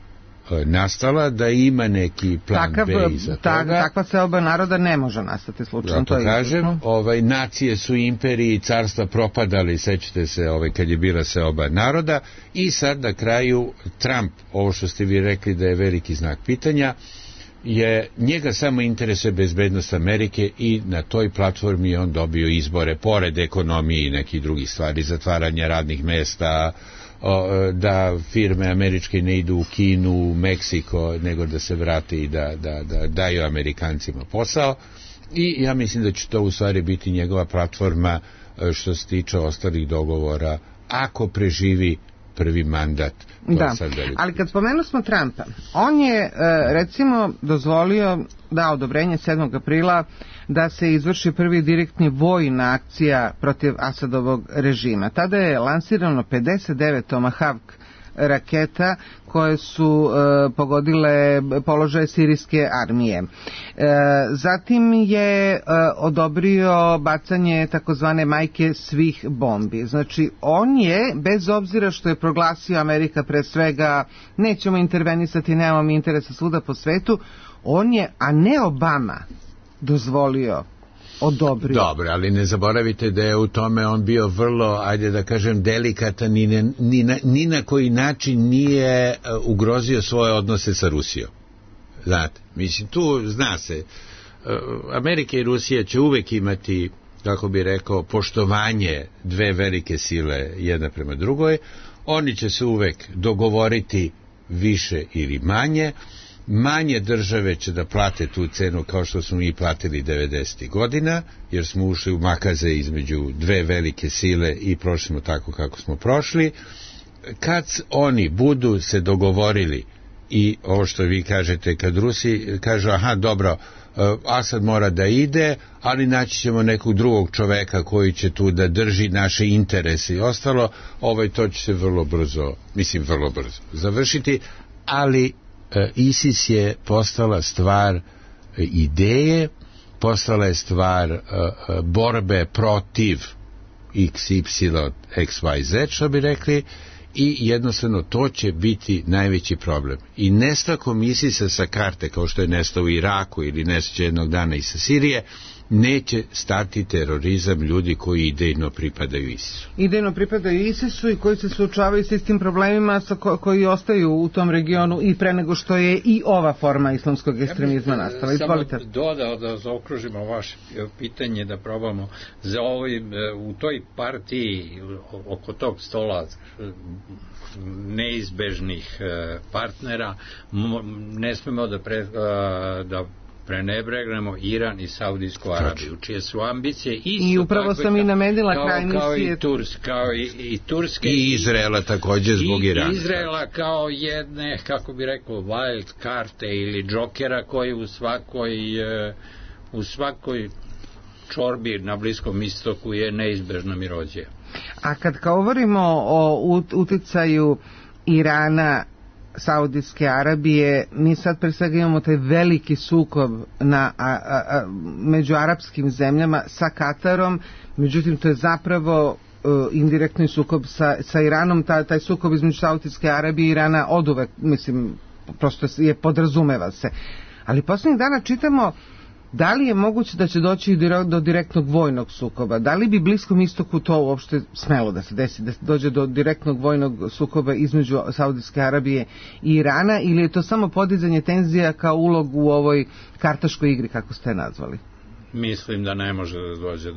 nastala, da ima neki plan B iza toga. Takva seoba naroda ne može nastati slučajno. Zato kažem, nacije su imperiji i carstva propadali, sećate se kad je bila seoba naroda, i sad na kraju Trump, ovo što ste vi rekli da je veliki znak pitanja, njega samo interesuje bezbednost Amerike i na toj platformi on dobio izbore, pored ekonomije i nekih drugih stvari, zatvaranja radnih mesta, da firme američke ne idu u Kinu, u Meksiko, nego da se vrate i da daju Amerikancima posao, i ja mislim da će to u stvari biti njegova platforma što se tiče ostalih dogovora, ako preživi prvi mandat. Da, ali kad spomenuli smo Trumpa, on je recimo dao odobrenje 7. aprila da se izvrši prvi direktni vojna akcija protiv Asadovog režima. Tada je lansirano 59 Tomahawk raketa koje su pogodile položaje sirijske armije. Zatim je odobrio bacanje takozvane majke svih bombi. Znači, on je, bez obzira što je proglasio Amerika pre svega, nećemo intervenisati, nemamo interesa svuda po svetu, on je, a ne Obama, dozvolio, odobrio. Dobro, ali ne zaboravite da je u tome on bio vrlo, ajde da kažem, delikatan, ni na koji način nije ugrozio svoje odnose sa Rusijom. Znate, mislim, tu zna se, Amerika i Rusija će uvek imati, kako bi rekao, poštovanje dve velike sile jedna prema drugoj, oni će se uvek dogovoriti više ili manje države će da plate tu cenu kao što smo i platili 90. godina, jer smo ušli u makaze između dve velike sile i prošli smo tako kako smo prošli. Kad oni budu se dogovorili, i ovo što vi kažete, kad Rusi kažu, aha, dobro, Asad mora da ide, ali naći ćemo nekog drugog čoveka koji će tu da drži naše interese i ostalo, to će se vrlo brzo završiti, ali ISIS je postala stvar ideje, postala je stvar borbe protiv XY, XYZ, što bi rekli, i jednostavno to će biti najveći problem. I nestankom ISIS-a sa karte, kao što je nestao u Iraku ili nestaće jednog dana i sa Sirije, neće stati terorizam ljudi koji idejno pripadaju ISIS-u. Idejno pripadaju ISIS-u i koji se suočavaju s istim problemima koji ostaju u tom regionu i pre nego što je i ova forma islamskog ekstremizma nastala. Izvolite. Samo dodao da zaokružimo vaše pitanje, da probamo za u toj partiji oko tog stola neizbežnih partnera ne smemo da prenebregnemo Iran i Saudijsku Arabiju, čije su ambicije isto i upravo sam i namenila kraj misije kao i Turske i Izraela takođe zbog Irana. Izraela kao jedne, kako bi rekao, wild karte ili džokera koji u svakoj čorbi na Bliskom istoku je neizbežna mirođija. A kad govorimo o uticaju Irana, Saudijske Arabije, mi sad pre svega imamo taj veliki sukob među arapskim zemljama sa Katarom, međutim to je zapravo indirektni sukob sa Iranom, taj sukob između Saudijske Arabije i Irana oduvek, mislim, prosto je podrazumeva se. Ali poslednjih dana čitamo da li je moguće da će doći do direktnog vojnog sukoba? Da li bi Bliskom istoku to uopšte smelo da se desi, da dođe do direktnog vojnog sukoba između Saudijske Arabije i Irana, ili je to samo podizanje tenzija kao ulog u ovoj kartaškoj igri, kako ste je nazvali? Mislim da ne može da dođe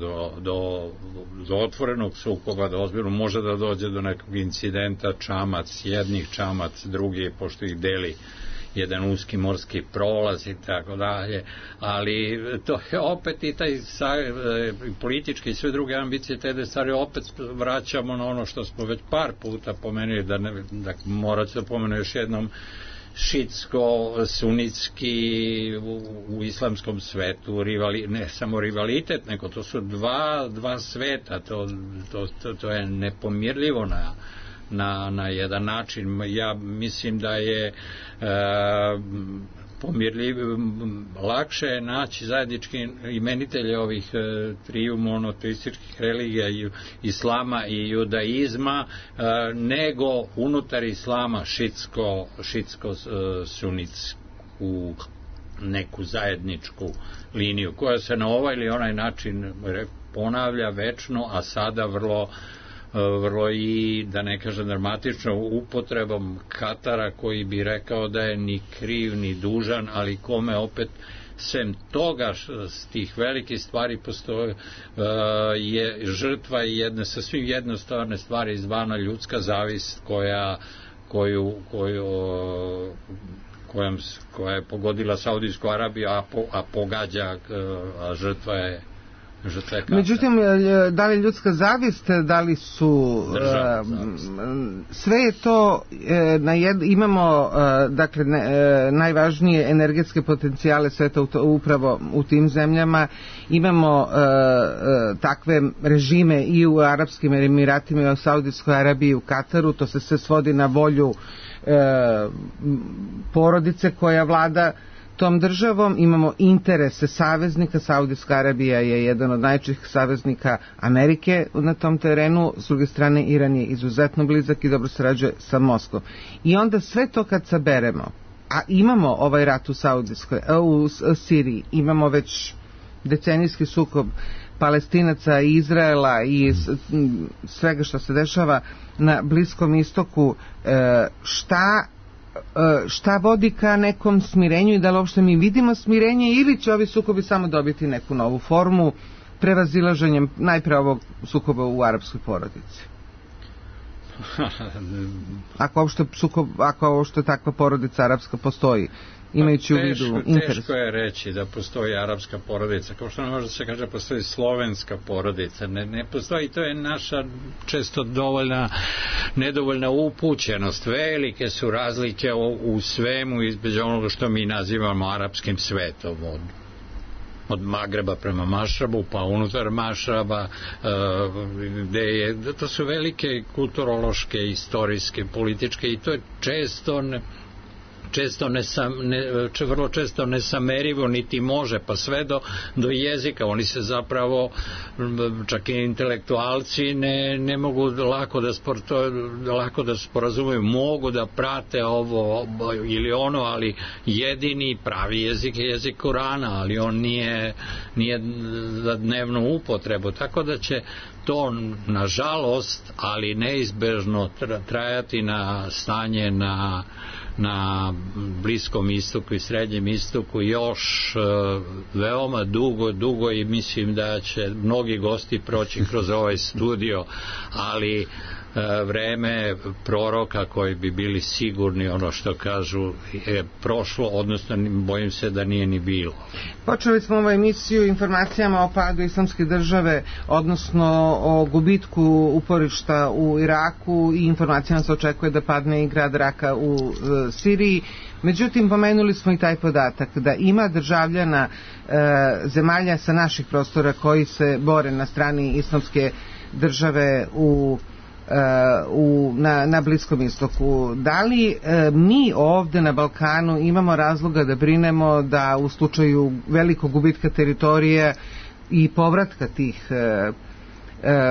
do otvorenog sukoba, da ozbiljno može da dođe do nekog incidenta, čamac jednih, čamac drugi, pošto ih deli jedan uski morski prolaz i tako dalje, ali to je opet i taj politički i sve druge ambicije te stvari, opet vraćamo na ono što smo već par puta pomenuli, da morat ću da pomenu još jednom, šitsko-sunitski u islamskom svetu, ne samo rivalitet, nego to su dva sveta, to je nepomirljivo na jedan način. Ja mislim da je lakše je naći zajednički imenitelje ovih triju monoteističkih religija, islama i judaizma, nego unutar islama šitsko-sunitsku neku zajedničku liniju koja se na ovaj ili onaj način ponavlja večno, a sada vrlo i, da ne kažem dramatično, upotrebom Katara, koji bi rekao da je ni kriv ni dužan, ali kome opet sem toga s tih velikih stvari postoje je žrtva jedne sasvim jednostavne stvari izvana, ljudska zavist koja je pogodila Saudijsku Arabiju, a pogađa, a žrtva je međutim, da li ljudska zavist, da li su sve je to imamo dakle najvažnije energetske potencijale sveta upravo u tim zemljama, imamo takve režime i u Arapskim Emiratima i u Saudijskoj Arabiji i u Kataru, to se sve svodi na volju porodice koja vlada tom državom, imamo interese saveznika. Saudijska Arabija je jedan od najčešćih saveznika Amerike na tom terenu, s druge strane Iran je izuzetno blizak i dobro sarađuje sa Moskvom. I onda sve to kad saberemo, a imamo ovaj rat u Siriji, imamo već decenijski sukob Palestinaca i Izraela i svega što se dešava na Bliskom istoku, šta vodi ka nekom smirenju i da li uopšte mi vidimo smirenje, ili će ovi sukobi samo dobiti neku novu formu prevazilaženjem najpre ovog sukoba u arapskoj porodici? Ako uopšte takva porodica arapska postoji, imajući u vidu interes. Teško je reći da postoji arapska porodica, kao što ne može da se kaže postoji slovenska porodica, ne postoji, to je naša često nedovoljna upućenost. Velike su razlike u svemu između onoga što mi nazivamo arapskim svetom, od od Magreba prema Mašrabu, pa unutar Mašraba, gde je, to su velike kulturološke, istorijske, političke, i to je vrlo često nesamerivo, niti može, pa sve do jezika. Oni se zapravo, čak i intelektualci, ne mogu lako da sporazumeju, mogu da prate ovo ili ono, ali jedini pravi jezik je jezik Korana, ali on nije za dnevnu upotrebu, tako da će to, nažalost, ali neizbežno trajati na stanje na Bliskom istoku i Srednjem istoku još veoma dugo, i mislim da će mnogi gosti proći kroz ovaj studio, ali vreme proroka koji bi bili sigurni, ono što kažu, je prošlo, odnosno bojim se da nije ni bilo. Počeli smo ovu emisiju informacijama o padu Islamske države, odnosno o gubitku uporišta u Iraku, i informacijama se očekuje da padne i grad Raka u Siriji. Međutim, pomenuli smo i taj podatak da ima državljana zemalja sa naših prostora koji se bore na strani Islamske države na Bliskom istoku. Da li mi ovde na Balkanu imamo razloga da brinemo da u slučaju velikog gubitka teritorije i povratka tih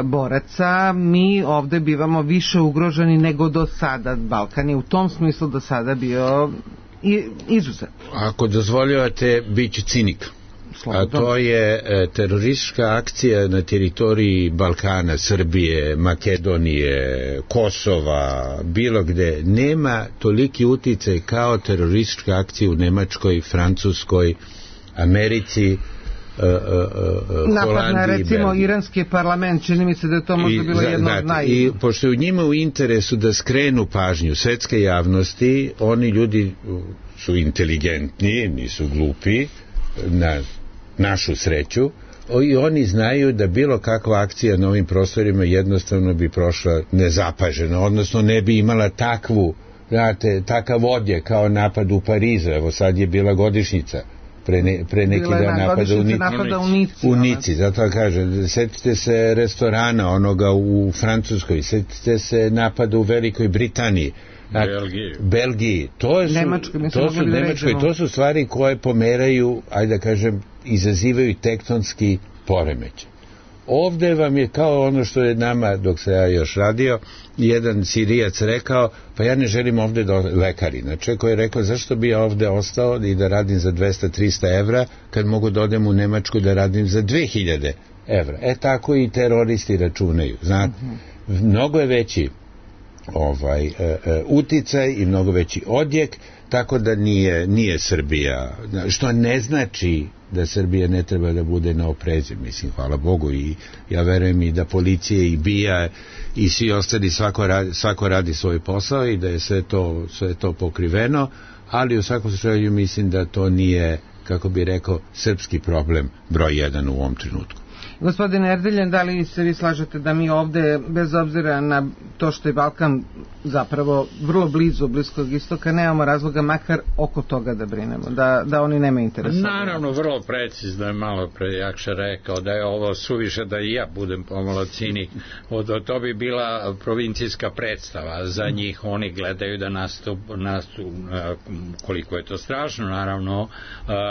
boraca, mi ovde bivamo više ugroženi nego do sada? Balkan je u tom smislu do sada bio izuzet. Ako dozvoljavate, bit će cinik. A to je teroristička akcija na teritoriji Balkana, Srbije, Makedonije, Kosova, bilo gde. Nema toliki uticaj kao teroristička akcija u Nemačkoj, Francuskoj, Americi, napad na, recimo, iranski parlament, čini mi se da je to možda bilo jedno od I pošto je u njima u interesu da skrenu pažnju svetske javnosti, oni ljudi su inteligentni, nisu glupi, na našu sreću, i oni znaju da bilo kakva akcija na ovim prostorima jednostavno bi prošla nezapaženo, odnosno ne bi imala takav odjek kao napad u Parizu. Evo sad je bila godišnjica pre neki dan napada u Nici, zato kažem, setite se restorana onoga u Francuskoj, setite se napada u Velikoj Britaniji, Belgiji, to su stvari koje pomeraju, ajde da kažem, izazivaju tektonski poremećaj. Ovde vam je kao ono što je nama, dok se ja još radio, jedan Sirijac rekao, pa ja ne želim ovde lekari, znači koji je rekao, zašto bi ja ovde ostao i da radim za 200-300 evra kad mogu da odem u Nemačku da radim za 2000 evra. Tako i teroristi računaju, znate, mnogo je veći uticaj i mnogo veći odjek, tako da nije Srbija, što ne znači da Srbija ne treba da bude na oprezu, mislim, hvala Bogu, i ja verujem i da policija i BIA i svi ostali, svako radi svoj posao i da je sve to pokriveno, ali u svakom slučaju mislim da to nije, kako bi rekao, srpski problem broj 1 u ovom trenutku. Gospodine Erdeljan, da li se vi slažete da mi ovde, bez obzira na to što je Balkan zapravo vrlo blizu Bliskog istoka, nemamo razloga makar oko toga da brinemo, da oni nemaju interesa? Naravno, vrlo precizno je malo pre Jakša rekao da je ovo suviše, da i ja budem pomalo cinik. To bi bila provincijska predstava za njih, oni gledaju da koliko je to strašno, naravno,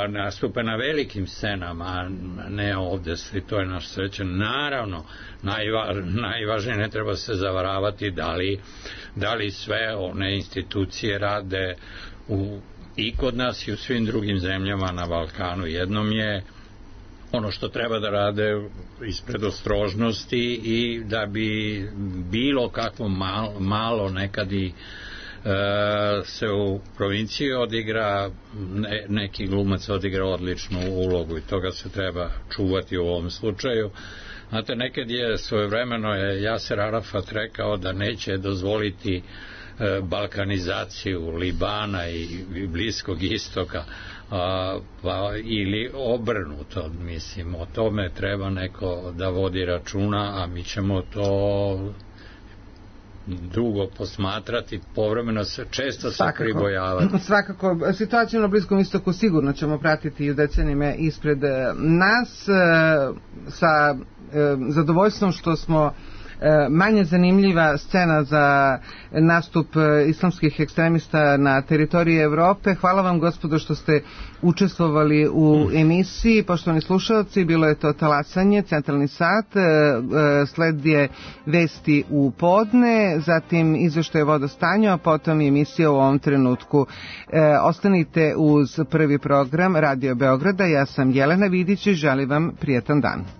nastupe na velikim scenama, ne ovde, to je naš srećan. Naravno, najvažnije, ne treba se zavaravati da li sve one institucije rade i kod nas i u svim drugim zemljama na Balkanu. Jednom je ono što treba da rade ispred ostrožnosti i da bi bilo kakvo malo nekad i se u provinciji odigra, neki glumac odigra odličnu ulogu i toga se treba čuvati u ovom slučaju. Znate, nekad je svojevremeno Jaser Arafat rekao da neće dozvoliti balkanizaciju Libana i Bliskog istoka, ili obrnuto, mislim, o tome treba neko da vodi računa, a mi ćemo to dugo posmatrati, povremeno često se pribojavati. Svakako, situaciju na Bliskom istoku sigurno ćemo pratiti i u decenijama ispred nas, sa zadovoljstvom što smo manje zanimljiva scena za nastup islamskih ekstremista na teritoriji Evrope. Hvala vam, gospodo, što ste učestvovali u emisiji. Poštovani slušalci, bilo je to Talasanje, centralni sat, sled je Vesti u podne, zatim izveštaj vodostanja, a potom emisija u ovom trenutku. Ostanite uz prvi program Radio Beograda. Ja sam Jelena Vidić i želim vam prijetan dan.